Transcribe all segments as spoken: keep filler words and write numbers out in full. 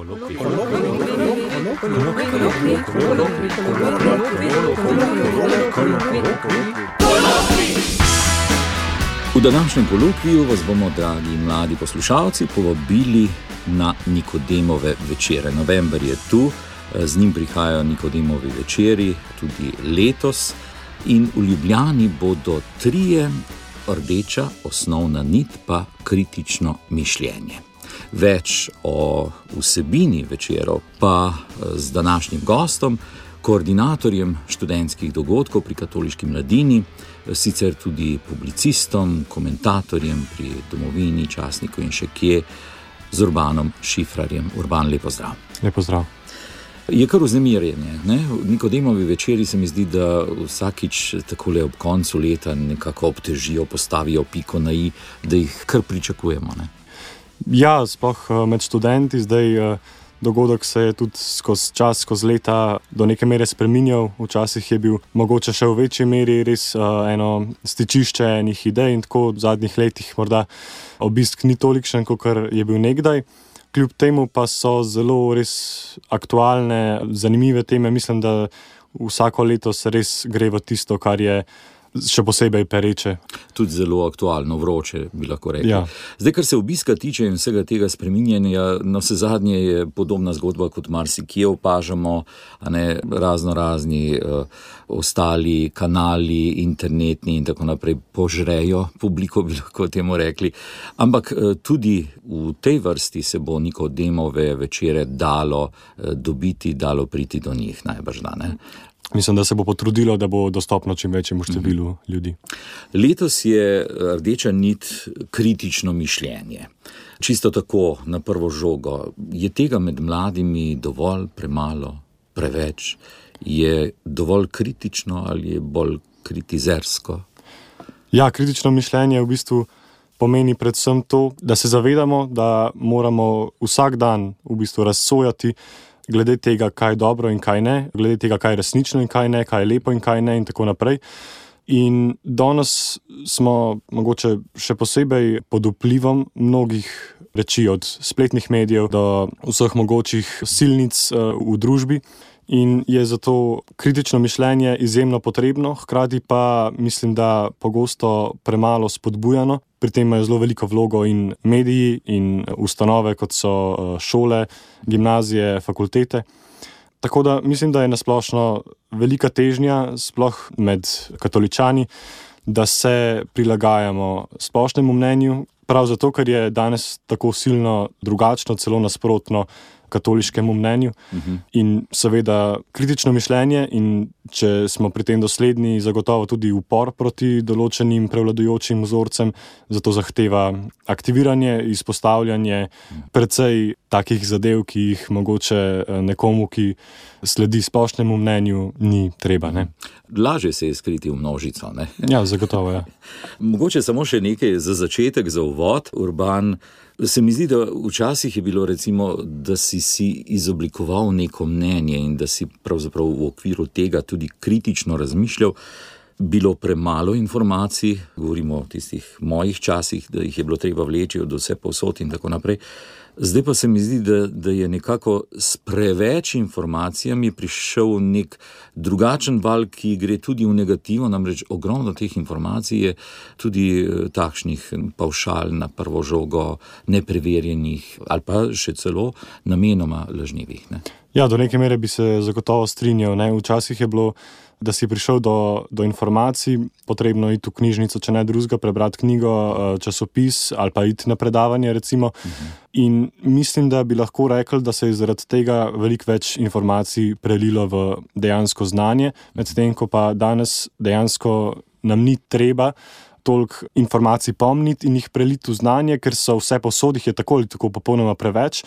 V današnjem kolokviju vas bomo, dragi mladi poslušalci, povabili na Nikodemove večere. November je tu, z njim prihajajo Nikodemovi večeri tudi letos in v Ljubljani bodo trije, rdeča osnovna nit pa kritično mišljenje. Več o vsebini večerov pa z današnjim gostom, koordinatorjem študentskih dogodkov pri Katoliški mladini, sicer tudi publicistom, komentatorjem pri Domovini, časniku in še kje, z Urbanom Šifrarjem. Urban, lepo zdrav. Lepo zdrav. Je kar vznemirjenje, ne? Nikodemovi večeri se mi zdi, da vsakič takole ob koncu leta nekako obtežijo, postavijo piko na i, da jih kar pričakujemo, ne? Ja, sploh med študenti zdaj dogodek se je tudi skozi čas, skozi leta do neke mere spreminjal. Včasih je bil mogoče še v večji meri res eno stičišče enih idej in tako v zadnjih letih morda obisk ni tolikšen, kakor je bil nekdaj. Kljub temu pa so zelo res aktualne, zanimive teme. Mislim, da vsako leto se res gre v tisto, kar je še posebej pereče. Tudi zelo aktualno, vroče, bi lahko rekli. Ja. Zdaj, kar se obiska tiče in vsega tega spreminjanja, na vse zadnje je podobna zgodba, kot marsikje opažamo, a ne, razno razni uh, ostali kanali, internetni in tako naprej požrejo publiko, bi lahko temu rekli. Ampak uh, tudi v tej vrsti se bo Nikodemove večere dalo uh, dobiti, dalo priti do njih, najbrž da, ne? Mislim, da se bo potrudilo, da bo dostopno čim večjemu številu mm. ljudi. Letos je rdeča nit kritično mišljenje. Čisto tako, na prvo žogo. Je tega med mladimi dovolj, premalo, preveč? Je dovolj kritično ali je bolj kritizersko? Ja, kritično mišljenje v bistvu pomeni predvsem to, da se zavedamo, da moramo vsak dan v bistvu razsojati glede tega, kaj je dobro in kaj ne, glede tega, kaj je resnično in kaj ne, kaj je lepo in kaj ne in tako naprej. In danes smo mogoče še posebej pod vplivom mnogih reči, od spletnih medijev do vseh mogočih silnic v družbi. In je zato kritično mišljenje izjemno potrebno, hkrati pa mislim, da pogosto premalo spodbujano. Pri tem imajo zelo veliko vlogo in mediji in ustanove, kot so šole, gimnazije, fakultete. Tako da mislim, da je nasplošno velika težnja, sploh med katoličani, da se prilagajamo splošnemu mnenju, prav zato, ker je danes tako silno drugačno, celo nasprotno katoliškemu mnenju. Uh-huh. In seveda kritično mišljenje in če smo pri tem dosledni, zagotovo tudi upor proti določenim prevladujočim vzorcem, zato zahteva aktiviranje, izpostavljanje precej takih zadev, ki jih mogoče nekomu, ki sledi splošnemu mnenju, ni treba, ne? Lažje se je skriti v množico, ne? Ja, zagotovo, ja. Mogoče samo še nekaj za začetek, za uvod, Urban. Se mi zdi, da včasih je bilo recimo, da si si izoblikoval neko mnenje in da si pravzaprav v okviru tega tudi kritično razmišljal, bilo premalo informacij, govorimo o tistih mojih časih, da jih je bilo treba vleči od vse povsod in tako naprej. Zdaj pa se mi zdi, da, da je nekako s preveč informacijami prišel nek drugačen val, ki gre tudi v negativo, namreč ogromno teh informacij je tudi takšnih pavšal na prvo žogo, nepreverjenih ali pa še celo namenoma lažnivih, ne? Ja, do neke mere bi se zagotovo strinjal, ne? Včasih je bilo, da si prišel do, do informacij, potrebno iti v knjižnico, če ne drugega, prebrati knjigo, časopis ali pa iti na predavanje, recimo. Uh-huh. In mislim, da bi lahko rekli, da se je zaradi tega veliko več informacij prelilo v dejansko znanje, medtem ko pa danes dejansko nam ni treba toliko informacij pomniti in jih preliti v znanje, ker so vse posod, jih je tako ali tako popolnoma preveč,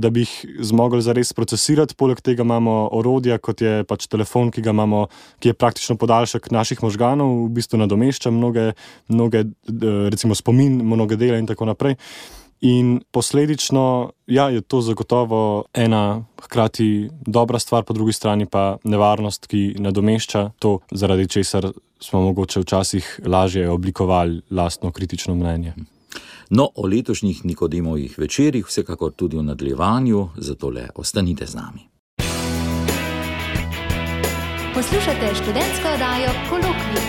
da bi jih zmogli zares procesirati. Poleg tega imamo orodja, kot je pač telefon, ki ga imamo, ki je praktično podaljšek naših možganov, v bistvu nadomešča mnoge, mnoge recimo spomin, mnoge dele in tako naprej. In posledično, ja, je to zagotovo ena hkrati dobra stvar, po drugi strani pa nevarnost, ki nadomešča to, zaradi česar smo mogoče včasih lažje oblikovali lastno kritično mnenje. No, o letošnjih Nikodemovih večerih vsekakor tudi v nadaljevanju, zato le ostanite z nami. Poslušate študentsko oddajo Kolokvij.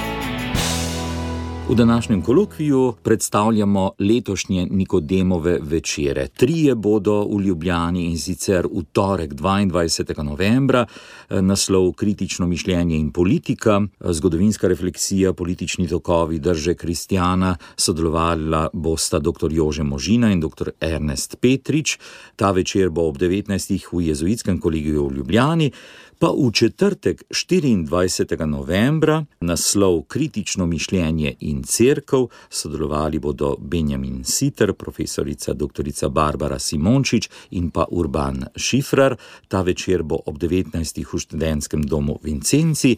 V današnjem kolokviju predstavljamo letošnje Nikodemove večere. Trije bodo v Ljubljani, in sicer v torek dvaindvajsetega novembra, naslov Kritično mišljenje in politika, zgodovinska refleksija, politični tokovi drže kristjana, sodelovala bosta doktor Jože Možina in doktor Ernest Petrič. Ta večer bo ob devetnajstih v Jezuitskem kolegiju v Ljubljani. Pa v četrtek štiriindvajsetega novembra naslov Kritično mišljenje in cerkev, sodelovali bodo Benjamin Siter, profesorica doktorica Barbara Simončič in pa Urban Šifrar. Ta večer bo ob devetnajstih v študentskem domu Vincenci.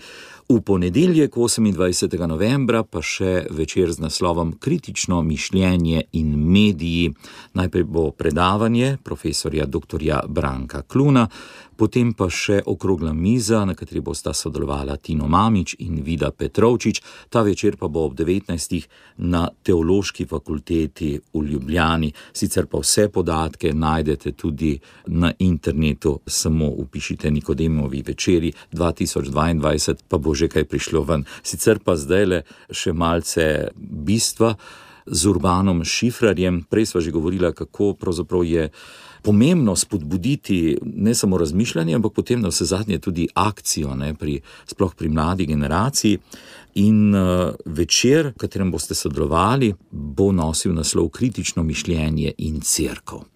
V ponedeljek osemindvajsetega novembra pa še večer z naslovom Kritično mišljenje in mediji. Najprej bo predavanje profesorja doktorja Branka Kluna, potem pa še okrogla miza, na kateri bosta sodelovala Tino Mamić in Vida Petrovčič. Ta večer pa bo ob devetnajstih na Teološki fakulteti v Ljubljani. Sicer pa vse podatke najdete tudi na internetu, samo vpišite Nikodemovi večeri dva tisoč dvaindvajset, pa bo že kaj prišlo ven. Sicer pa zdajle še malce bistva z Urbanom Šifrarjem. Prej sva že govorila, kako pravzaprav je pomembno spodbuditi ne samo razmišljanje, ampak potem na vse zadnje tudi akcijo, ne, pri, sploh pri mladi generaciji. In uh, večer, v katerem boste sodelovali, bo nosil naslov Kritično mišljenje in cerkev.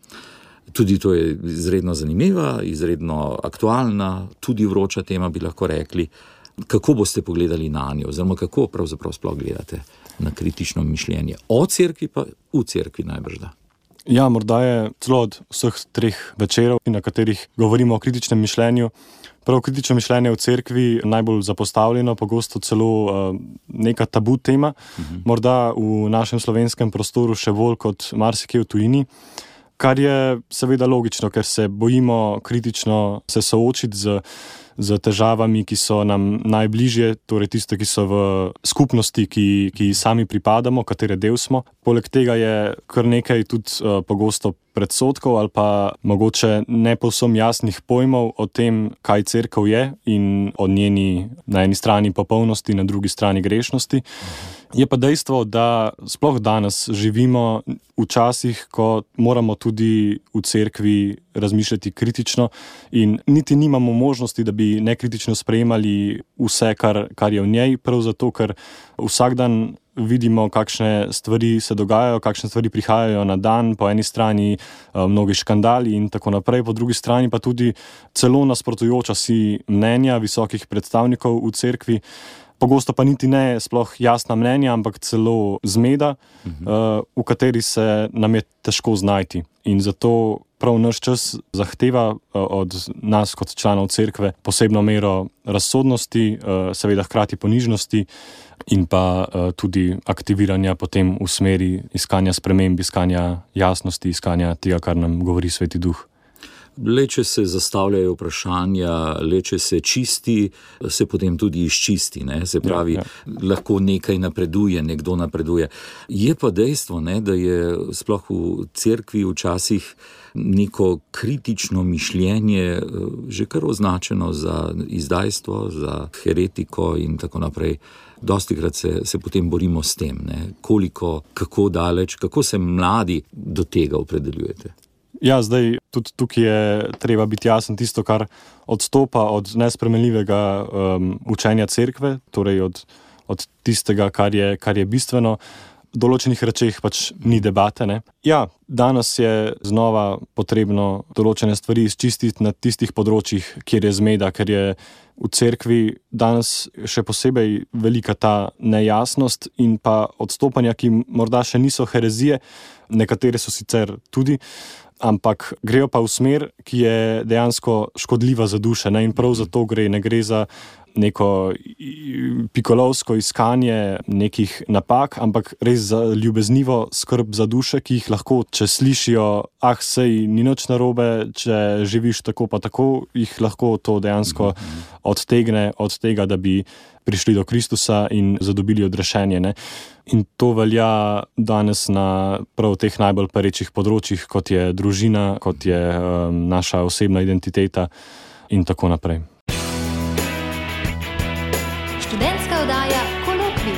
Tudi to je izredno zanimiva, izredno aktualna, tudi vroča tema, bi lahko rekli. Kako boste pogledali na njo, oziroma kako pravzaprav sploh gledate na kritično mišljenje? O cerkvi pa v cerkvi najbrž da. Ja, morda je celo od vseh treh večerov, na katerih govorimo o kritičnem mišljenju, prav kritično mišljenje v cerkvi najbolj zapostavljeno, pogosto celo uh, neka tabu tema, uh-huh. Morda v našem slovenskem prostoru še bolj kot marsikje v tujini, kar je seveda logično, ker se bojimo kritično se soočiti z z težavami, ki so nam najbližje, torej tiste, ki so v skupnosti, ki, ki sami pripadamo, katere del smo. Poleg tega je kar nekaj tudi uh, pogosto predsodkov ali pa mogoče ne povsem jasnih pojmov o tem, kaj cerkev je in o njeni na eni strani popolnosti, na drugi strani grešnosti. Je pa dejstvo, da sploh danes živimo v časih, ko moramo tudi v cerkvi razmišljati kritično in niti nimamo možnosti, da bi nekritično sprejemali vse, kar, kar je v njej, prav zato, ker vsak dan vidimo, kakšne stvari se dogajajo, kakšne stvari prihajajo na dan, po eni strani mnogi škandali in tako naprej, po drugi strani pa tudi celo nasprotujoča si mnenja visokih predstavnikov v cerkvi. Pogosto pa niti ne sploh jasna mnenja, ampak celo zmeda, uh-huh. v kateri se nam je težko znajti. In zato prav naš čas zahteva od nas kot članov cerkve posebno mero razsodnosti, seveda hkrati ponižnosti in pa tudi aktiviranja potem v smeri iskanja sprememb, iskanja jasnosti, iskanja tega, kar nam govori Sveti Duh. Le če se zastavljajo vprašanja, le če se čisti, se potem tudi izčisti, ne? Se pravi, ja, ja. Lahko nekaj napreduje, nekdo napreduje. Je pa dejstvo, ne, da je sploh v cerkvi včasih neko kritično mišljenje že kar označeno za izdajstvo, za heretiko in tako naprej. Dostikrat se, se potem borimo s tem, ne? Koliko, kako daleč, kako se mladi do tega opredeljujete? Ja, zdaj tudi tukaj je treba biti jasen, tisto, kar odstopa od nespremenljivega um, učenja cerkve, torej od, od tistega, kar je, kar je bistveno, v določenih rečeh pač ni debate. Ne? Ja, danes je znova potrebno določene stvari izčistiti na tistih področjih, kjer je zmeda, ker je v cerkvi danes še posebej velika ta nejasnost in pa odstopanja, ki morda še niso herezije, nekatere so sicer tudi, ampak grejo pa v smer, ki je dejansko škodljiva za duše. Ne? In prav za to gre, ne gre za neko pikolovsko iskanje nekih napak, ampak res za ljubeznivo skrb za duše, ki jih lahko, če slišijo ah, sej ni nič narobe, če živiš tako pa tako, jih lahko to dejansko odtegne od tega, da bi prišli do Kristusa in zadobili odrešenje. Ne? In to velja danes na prav teh najbolj perečih področjih, kot je družina, kot je um, naša osebna identiteta in tako naprej. Študentska oddaja Kolokvij.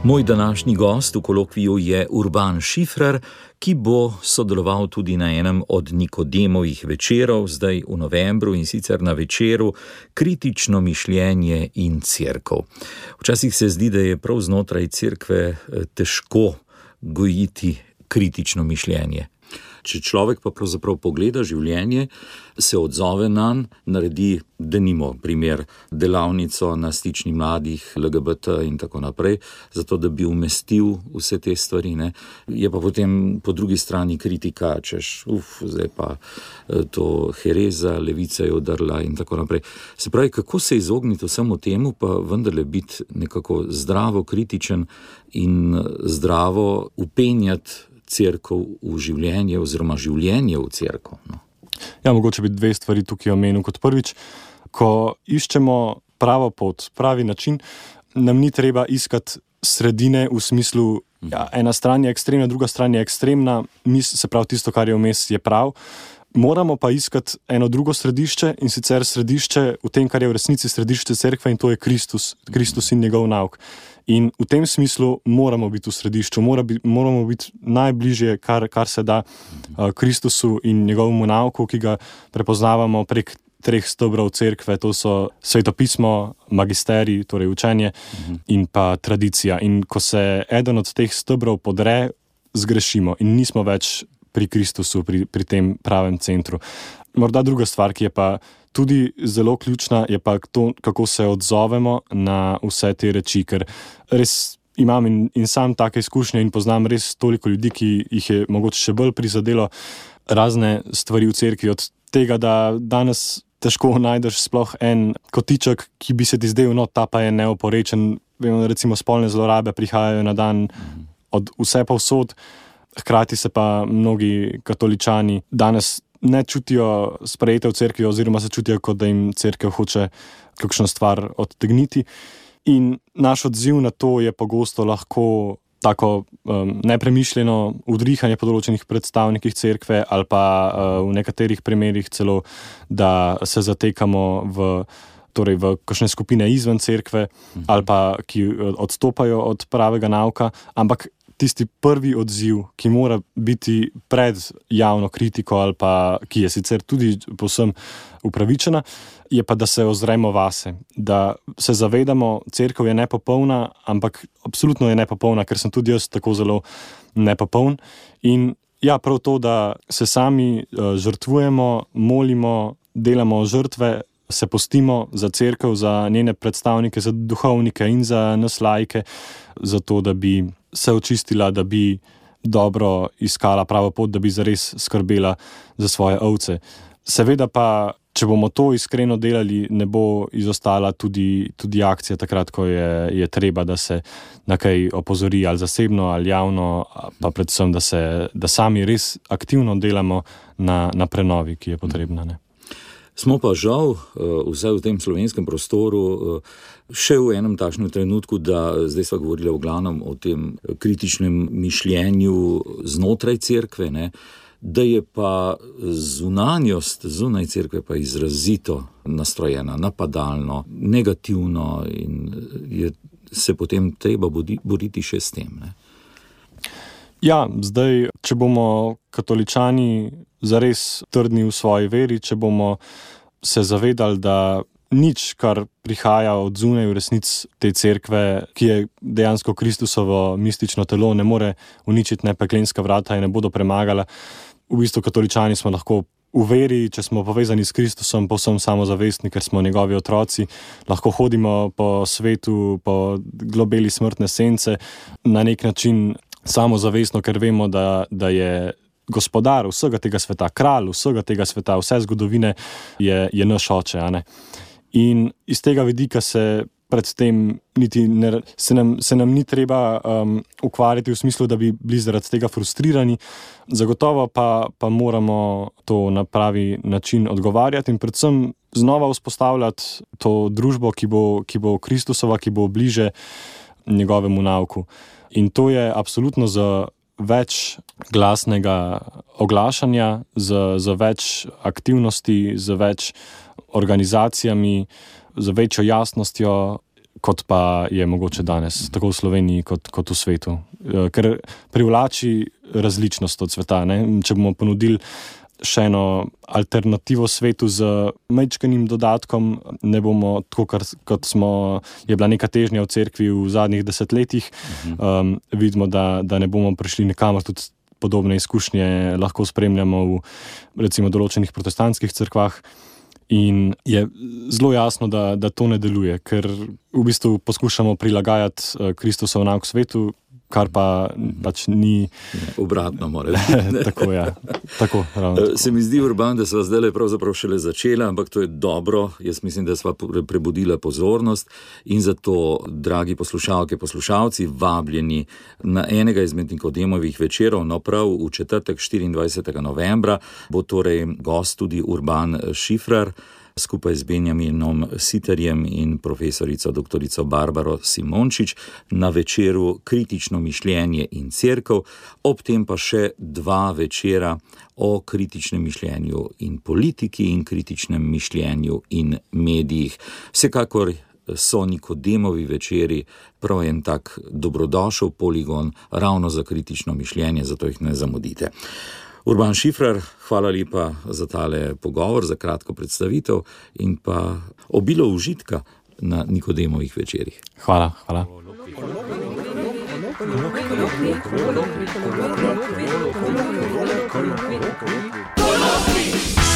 Moj današnji gost v kolokviju je Urban Šifrer, ki bo sodeloval tudi na enem od Nikodemovih večerov, zdaj v novembru, in sicer na večeru Kritično mišljenje in cerkev. Včasih se zdi, da je prav znotraj cerkve težko gojiti kritično mišljenje. Če človek pa pravzaprav pogleda življenje, se odzove nanj, naredi, denimo primer, delavnico na stični mladih, L G B T in tako naprej, zato da bi umestil vse te stvari, ne. Je pa potem po drugi strani kritika, češ, uf, zdaj pa to hereza, levica je udrla in tako naprej. Se pravi, kako se izogniti vsemu temu, pa vendarle biti nekako zdravo kritičen in zdravo upenjati cerkev v življenje oziroma življenje v cerkev. No. Ja, mogoče bi dve stvari tukaj omenil. Kot prvič, ko iščemo pravo pot, pravi način, nam ni treba iskati sredine v smislu, ja, ena stran je ekstremna, druga stran je ekstremna, mis, se pravi tisto, kar je vmes, je prav. Moramo pa iskati eno drugo središče, in sicer središče v tem, kar je v resnici središče cerkve, in to je Kristus, Kristus in njegov nauk. In v tem smislu moramo biti v središču, mora bi, moramo biti najbližje, kar, kar se da uh, Kristusu in njegovemu nauku, ki ga prepoznavamo prek treh stebrov cerkve, to so svetopismo, magisterij, torej učenje, uh-huh. in pa tradicija. In ko se eden od teh stebrov podre, zgrešimo in nismo več pri Kristusu, pri, pri tem pravem centru. Morda druga stvar, ki je pa tudi zelo ključna, je pa to, kako se odzovemo na vse te reči, ker res imam in, in sam take izkušnje in poznam res toliko ljudi, ki jih je mogoče še bolj prizadelo razne stvari v cerkvi, od tega, da danes težko najdeš sploh en kotiček, ki bi se ti zdel, no, ta pa je neoporečen. Recimo spolne zlorabe prihajajo na dan od vse povsod, hkrati se pa mnogi katoličani danes ne čutijo sprejete v cerkvi oziroma se čutijo, kot da jim cerkev hoče kakšno stvar odtegniti. In naš odziv na to je pogosto lahko tako um, nepremišljeno udrihanje po določenih predstavnikih cerkve ali pa uh, v nekaterih primerih celo, da se zatekamo v, torej v kakšne skupine izven cerkve ali pa ki odstopajo od pravega nauka, ampak tisti prvi odziv, ki mora biti pred javno kritiko ali pa, ki je sicer tudi povsem upravičena, je pa, da se ozremo vase, da se zavedamo, cerkev je nepopolna, ampak absolutno je nepopolna, ker sem tudi jaz tako zelo nepopoln. In ja, prav to, da se sami žrtvujemo, molimo, delamo žrtve, se postimo za cerkev, za njene predstavnike, za duhovnike in za nas laike, zato da bi se očistila, da bi dobro iskala pravo pot, da bi zares skrbela za svoje ovce. Seveda pa, če bomo to iskreno delali, ne bo izostala tudi, tudi akcija takrat, ko je, je treba, da se na kaj opozori ali zasebno ali javno, pa predvsem, da, se, da sami res aktivno delamo na, na prenovi, ki je potrebna. Ne? Smo pa žal, vsaj v tem slovenskem prostoru, še v enem takšnem trenutku, da zdaj sva govorila v glavnem o tem kritičnem mišljenju znotraj cerkve, ne, da je pa zunanjost zunaj cerkve pa izrazito nastrojena, napadalno, negativno in je se potem treba boriti še s tem. Ne. Ja, zdaj, če bomo katoličani zares trdni v svoji veri, če bomo se zavedali, da nič, kar prihaja od zunaj v resnici te cerkve, ki je dejansko Kristusovo mistično telo, ne more uničiti ne peklenska vrata in ne bodo premagala. V bistvu katoličani smo lahko v veri, če smo povezani s Kristusom, povsem samozavestni, ker smo njegovi otroci, lahko hodimo po svetu, po globeli smrtne sence, na nek način samozavestno, ker vemo, da, da je gospodar vsega tega sveta, kralj vsega tega sveta, vse zgodovine je, je naš oče. A ne? In iz tega vidika se predtem niti ne, se, nam, se nam ni treba um, ukvarjati v smislu, da bi bili zaradi tega frustrirani. Zagotovo pa, pa moramo to na pravi način odgovarjati in predvsem znova vzpostavljati to družbo, ki bo, ki bo Kristusova, ki bo bliže njegovemu nauku. In to je absolutno za več glasnega oglašanja, za, za več aktivnosti, za več organizacijami, za večjo jasnostjo, kot pa je mogoče danes, tako v Sloveniji kot, kot v svetu. Ker privlači različnost od sveta. Ne? Če bomo ponudili še eno alternativo svetu z majčkenim dodatkom, ne bomo tako, kot smo, je bila neka težnja v cerkvi v zadnjih desetletjih, um, vidimo, da, da ne bomo prišli nekamor, tudi podobne izkušnje lahko spremljamo v recimo določenih protestantskih cerkvah. In je zelo jasno, da, da to ne deluje, ker v bistvu poskušamo prilagajati Kristusov nauk svetu, kar pa pač ni... Obratno mora biti. Tako, ja. Tako, ravno tako. Se mi zdi, Urban, da sva zdaj pravzaprav šele začela, ampak to je dobro. Jaz mislim, da sva prebudila pozornost in zato, dragi poslušalke, poslušalci, vabljeni na enega izmed Nikodemovih večerov, no prav v četrtek štiriindvajsetega novembra bo torej gost tudi Urban Šifrer, skupaj z Benjaminom Siterjem in profesorico doktorico Barbaro Simončič na večeru Kritično mišljenje in cerkev, ob tem pa še dva večera o kritičnem mišljenju in politiki in kritičnem mišljenju in medijih. Vsekakor so Nikodemovi večeri prav en tak dobrodošel poligon ravno za kritično mišljenje, zato jih ne zamudite. Urban Šifrer, hvala lepa za tale pogovor, za kratko predstavitev in pa obilo užitka na Nikodemovih večerih. Hvala, hvala. Kolokvij.